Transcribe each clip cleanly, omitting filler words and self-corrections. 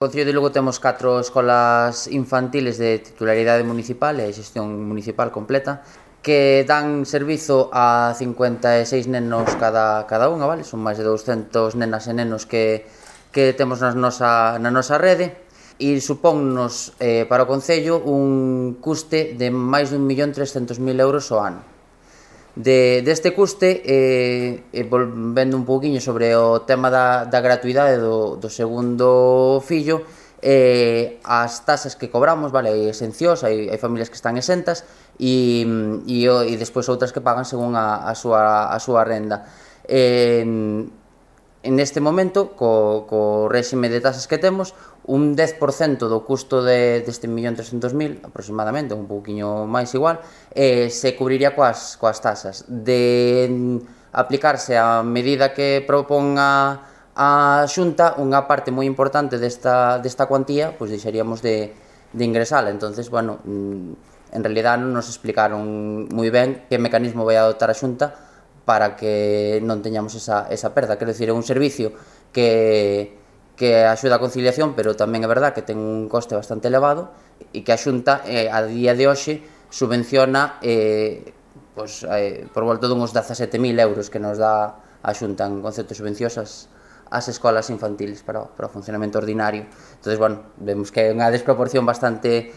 No Concello de Lugo temos 4 escolas infantiles de titularidade municipal e xestión municipal completa que dan servizo a 56 nenos cada unha, vale? Son máis de 200 nenas e nenos que temos na nosa rede e supónnos para o Concello un custe de máis de 1.300.000 euros ao ano. Deste custe, volvendo un pouquiño sobre o tema da gratuidade do segundo fillo, as tasas que cobramos, vale, hai exencións, hai familias que están exentas e despois outras que pagan según a súa renda. Neste momento, co réxime de tasas que temos, un 10% do custo deste 1.300.000, aproximadamente, un pouquiño máis igual, se cubriría coas tasas. De aplicarse a medida que propón a Xunta, unha parte moi importante desta cuantía, pois deixaríamos de ingresala. Entonces, bueno, en realidad non nos explicaron moi ben que mecanismo vai adoptar a Xunta para que non teñamos esa perda. Quero dicir, é un servicio que axuda a conciliación, pero tamén é verdad que ten un coste bastante elevado e que a Xunta a día de hoxe subvenciona por volta dunhos 17.000 euros que nos dá a Xunta en concepto de subvencións as escolas infantiles para o funcionamento ordinario. Entón, bueno, vemos que é unha desproporción bastante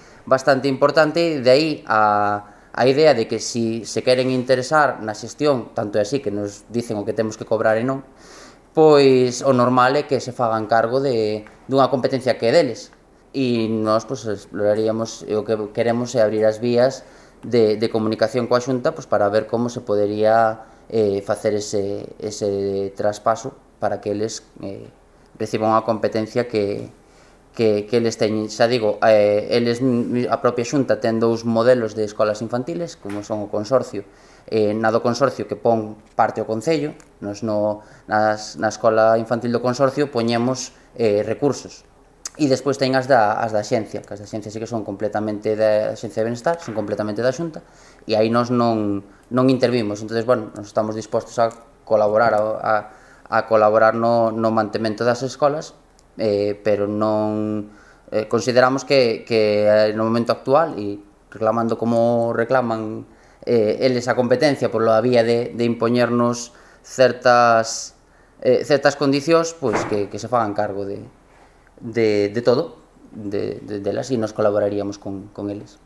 importante, e de aí a idea de que se queren interesar na xestión, tanto é así que nos dicen o que temos que cobrar e non, pois o normal é que se fagan cargo dunha competencia que é deles. E nós exploraríamos, e o que queremos é abrir as vías de comunicación coa Xunta para ver como se podería facer ese traspaso para que eles reciban unha competencia que eles teñen. Xa digo, a propia Xunta ten 2 modelos de escolas infantiles, como son o consorcio, na do consorcio que pon parte o Concello. Nos na escola infantil do consorcio poñemos recursos, e despois ten as da Axencia, que as da Axencia sí que son completamente da Axencia de Benestar, son completamente da Xunta, e aí nós non intervimos. Entón, bueno, nos estamos dispostos a colaborar no mantemento das escolas, pero non consideramos que no momento actual, e reclamando como reclaman eles a competencia pola vía de impoñernos certas condicións, pois que se fagan cargo de todo delas, e nos colaboraríamos con eles.